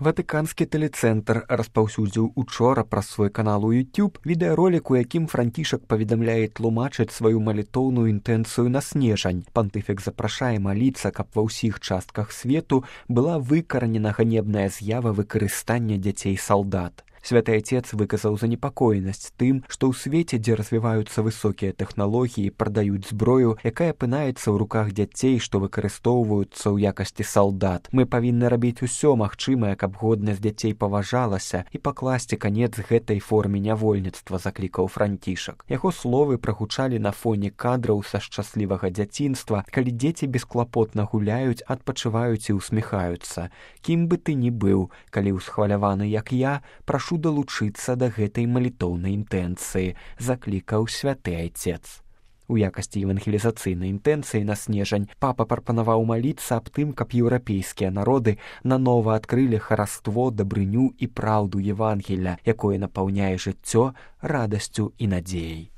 Ватыканскі тэлецэнтр распаўсюдзіў учора праз свой канал у YouTube відэаролік, у якім Францішак паведамляе тлумачыць сваю малітоўную інтэнцыю на снежань. Пантыфік запрашае маліцца, каб ва ўсіх частках свету была выкаранена ганебная з'ява выкарыстання дзяцей-салдат. Святы Отец выказаў занепакоенасць тым, што ў свеце, дзе развіваюцца высокія тэхналогіі, прадаюць зброю, якая апынаецца ў руках дзяцей, што выкарыстоўваюцца ў якасці салдат. Мы павінны рабіць усё магчымае, каб годнасць дзяцей паважалася і пакласці канец гэтай форме нявольніцтва, заклікаў Францішак. Яго словы прагучалі на фоне кадраў са шчаслівага дзяцінства, калі дзеці бесклапотна гуляюць, адпачываюць і ўсміхаюцца. Кім бы ты ні быў, калі ўсхваляваны, як я, прашу далучыцца да гэтай малітоўнай інтэнцыі, заклікаў святы Отец. У якасці евангелізацыйнай інтэнцыі на снежань папа прапанаваў маліцца аб тым, каб еўрапейскія народы нанова адкрылі хараство, дабрыню і праўду Евангелля, якое напаўняе жыццё радасцю і надзеяй.